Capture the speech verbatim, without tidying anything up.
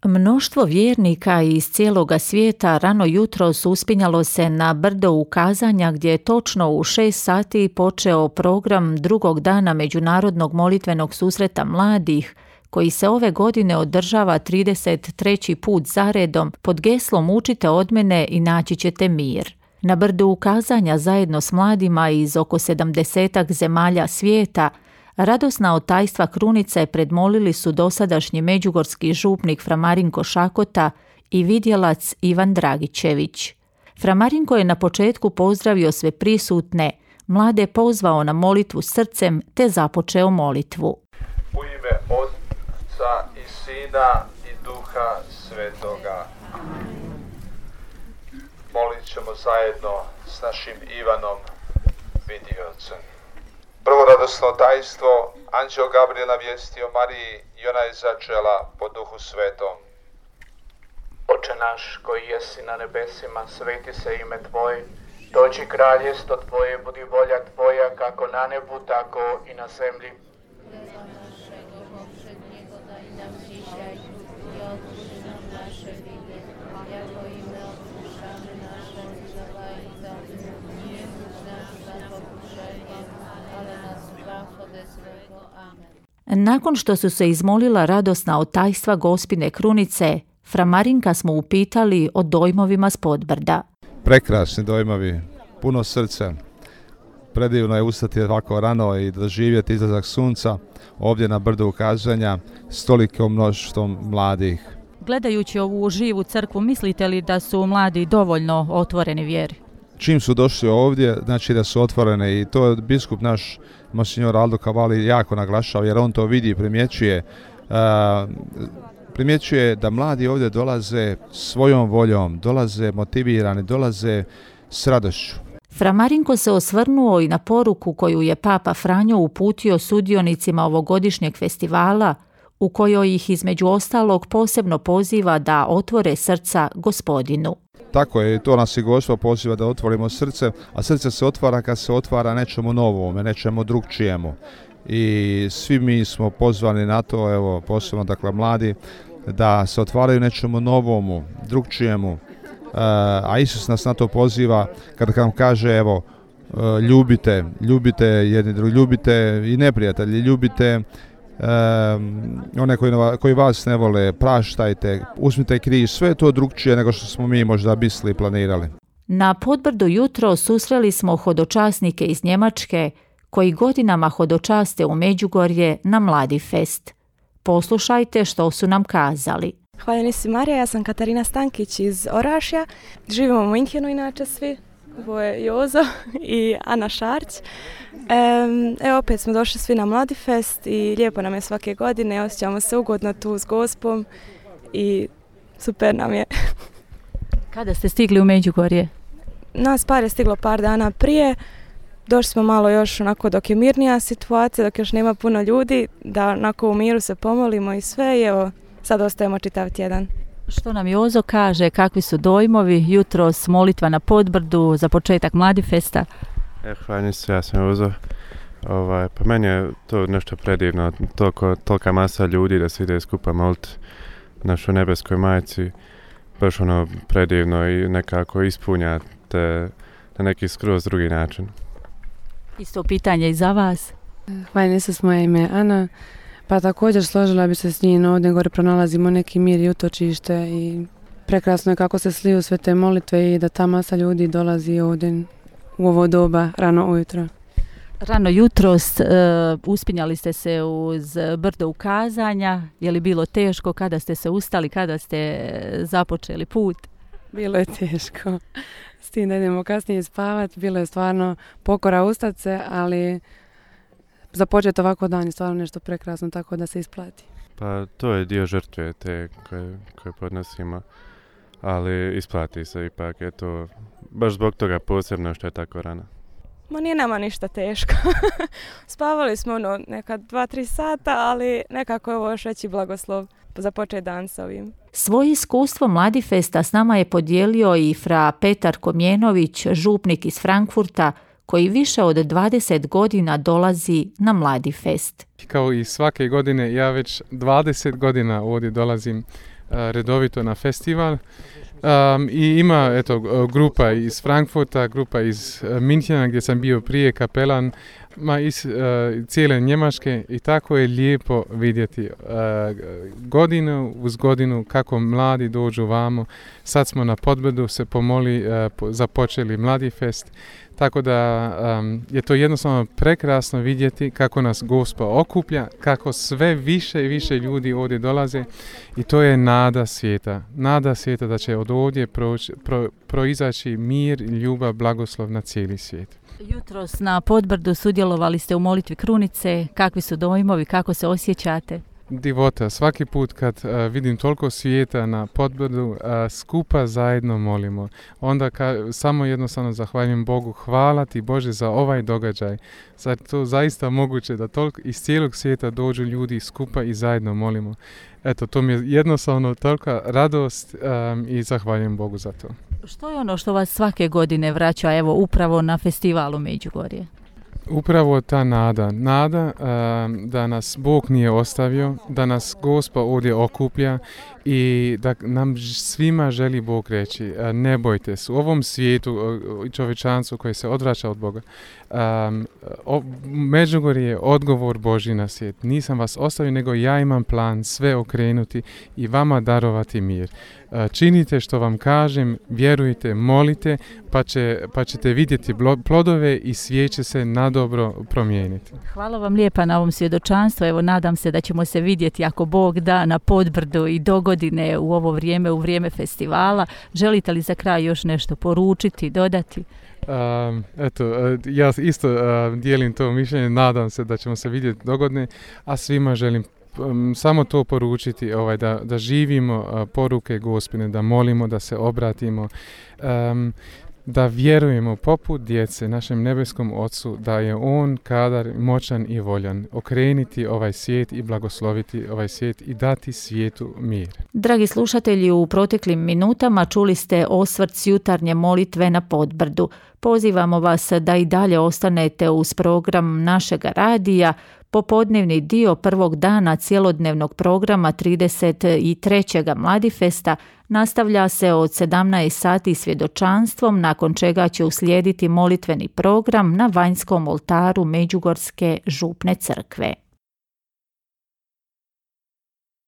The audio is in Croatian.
Mnoštvo vjernika iz cijeloga svijeta rano jutros uspinjalo se na brdo ukazanja gdje je točno u šest sati počeo program drugog dana Međunarodnog molitvenog susreta mladih, koji se ove godine održava trideset treći put zaredom pod geslom Učite od mene i naći ćete mir. Na brdu ukazanja zajedno s mladima iz oko sedamdesetak zemalja svijeta radosna otajstva krunice predmolili su dosadašnji međugorski župnik Fra Marinko Šakota i vidjelac Ivan Dragićević. Fra Marinko je na početku pozdravio sve prisutne, mlade pozvao na molitvu srcem te započeo molitvu. U ime Otca i Sina i Duha Svetoga. Molit ćemo zajedno s našim Ivanom Vidiocem. Prvo radosno tajstvo, anđeo Gabriel navijestio Mariji i ona je začela po Duhu Svetom. Oče naš koji jesi na nebesima, sveti se ime Tvoje, dođi kraljestvo Tvoje, budi volja Tvoja kako na nebu, tako i na zemlji. Nakon što su se izmolila radosna otajstva Gospine krunice, Fra Marinka smo upitali o dojmovima s podbrda. Prekrasni dojmovi, puno srca. Predivno je ustati ovako rano i doživjeti izlazak sunca ovdje na brdu ukazanja s tolikom mnoštvom mladih. Gledajući ovu živu crkvu, mislite li da su mladi dovoljno otvoreni vjeri? Čim su došli ovdje, znači da su otvorene i to je biskup naš, monsignor Aldo Cavalli, jako naglašao jer on to vidi i primjećuje. Uh, primjećuje da mladi ovdje dolaze svojom voljom, dolaze motivirani, dolaze s radošću. Fra Marinko se osvrnuo i na poruku koju je Papa Franjo uputio sudionicima ovogodišnjeg festivala, u kojoj ih između ostalog posebno poziva da otvore srca Gospodinu. Tako je, to nas i Gospod poziva da otvorimo srce, a srce se otvara kad se otvara nečemu novome, nečemu drugčijemu. I svi mi smo pozvani na to, evo posebno dakle mladi, da se otvaraju nečemu novomu, drugčijemu. A Isus nas na to poziva kada nam kaže evo ljubite, ljubite jedni drugi, ljubite i neprijatelji, ljubite Um, one koji, koji vas ne vole, praštajte, uzmite križ, sve je to drugčije nego što smo mi možda mislili i planirali. Na podbrdu jutro susreli smo hodočasnike iz Njemačke koji godinama hodočaste u Međugorje na Mladi fest. Poslušajte što su nam kazali. Hvaljeni si Marija, ja sam Katarina Stankić iz Orašja, živimo u Minhenu inače svi. Ovo je Jozo i Ana Šarć. Evo opet smo došli svi na Mladi fest i lijepo nam je svake godine, osjećamo se ugodno tu s Gospom i super nam je. Kada ste stigli u Međugorje? Nas par je stiglo par dana prije, došli smo malo još onako dok je mirnija situacija, dok još nema puno ljudi, da onako u miru se pomolimo i sve i evo sad ostajemo čitav tjedan. Što nam Jozo kaže, kakvi su dojmovi, jutros molitva na podbrdu za početak Mladi festa? E, hvala se, ja sam Jozo. Ovaj, pa meni je to nešto predivno, toliko, tolika masa ljudi da se ide skupa moliti našoj nebeskoj majci, baš ono predivno i nekako ispunja te na neki skroz drugi način. Isto pitanje i za vas. Hvala se, moje ime Ana. Pa također složila bi se s njim, ovdje gore pronalazimo neki mir i utočište i prekrasno je kako se sliju sve te molitve i da ta masa ljudi dolazi ovdje u ovo doba rano ujutro. Rano jutros uh, uspinjali ste se uz brdo ukazanja, je li bilo teško, kada ste se ustali, kada ste započeli put? Bilo je teško, s tim da idemo kasnije spavati, bilo je stvarno pokora ustat se, ali započeti ovako dan je stvarno nešto prekrasno, tako da se isplati. Pa to je dio žrtve te koje, koje podnosimo, ali isplati se ipak, je to baš zbog toga posebno što je tako rano. Ma nije nama ništa teško. Spavali smo ono neka dva, tri sata, ali nekako je ovo još veći blagoslov za počet dan s ovim. Svoje iskustvo Mladi festa s nama je podijelio i fra Petar Komjenović, župnik iz Frankfurta, koji više od dvadeset godina dolazi na Mladi fest. Kao i svake godine, ja već dvadeset godina ovdje dolazim redovito na festival. Um, I ima eto, grupa iz Frankfurta, grupa iz uh, Minhena gdje sam bio prije kapelan, ma iz uh, cijele Njemačke i tako je lijepo vidjeti uh, godinu uz godinu kako mladi dođu vamo. Sad smo na Podbrdu se pomoli, uh, po, započeli Mladi fest, tako da um, je to jednostavno prekrasno vidjeti kako nas Gospa okuplja, kako sve više i više ljudi ovdje dolaze i to je nada svijeta. Nada svijeta da će od ovdje proći, pro, proizaći mir, ljubav, blagoslov na cijeli svijet. Jutros na Podbrdu sudjelovali ste u molitvi krunice. Kakvi su dojmovi, kako se osjećate? Divota, svaki put kad uh, vidim toliko svijeta na Podbrdu, uh, skupa zajedno molimo. Onda ka, samo jednostavno zahvaljujem Bogu, hvala ti Bože za ovaj događaj. Zar to zaista moguće da toliko iz cijelog svijeta dođu ljudi skupa i zajedno molimo. Eto, to mi je jednostavno tolika radost um, i zahvaljujem Bogu za to. Što je ono što vas svake godine vraća, evo, upravo na festivalu Međugorje? Upravo ta nada, nada um, da nas Bog nije ostavio, da nas Gospa ovdje okuplja i da nam svima želi Bog reći, uh, ne bojte se, u ovom svijetu i uh, čovječanstvu koji se odvraća od Boga. Um, o, Međugorje je odgovor Božji na svijet. Nisam vas ostavio, nego ja imam plan sve okrenuti i vama darovati mir. Uh, činite što vam kažem, vjerujte, molite, pa, će, pa ćete vidjeti plodove i svijet će se nadobro promijeniti. Hvala vam lijepa na ovom svjedočanstvu. Evo, nadam se da ćemo se vidjeti ako Bog da na Podbrdu i dogodine u ovo vrijeme, u vrijeme festivala. Želite li za kraj još nešto poručiti, dodati? Um, eto, ja isto uh, dijelim to mišljenje, nadam se da ćemo se vidjeti dogodine, a svima želim um, samo to poručiti, ovaj, da, da živimo uh, poruke Gospine, da molimo, da se obratimo, um, da vjerujemo poput djece našem nebeskom Ocu, da je On kadar, moćan i voljan okreniti ovaj svijet i blagosloviti ovaj svijet i dati svijetu mir. Dragi slušatelji, u proteklim minutama čuli ste osvrt s jutarnje molitve na Podbrdu. Pozivamo vas da i dalje ostanete uz program našega radija. Popodnevni dio prvog dana cjelodnevnog programa trideset trećeg Mladifesta nastavlja se od sedamnaest sati svjedočanstvom, nakon čega će uslijediti molitveni program na vanjskom oltaru Međugorske župne crkve.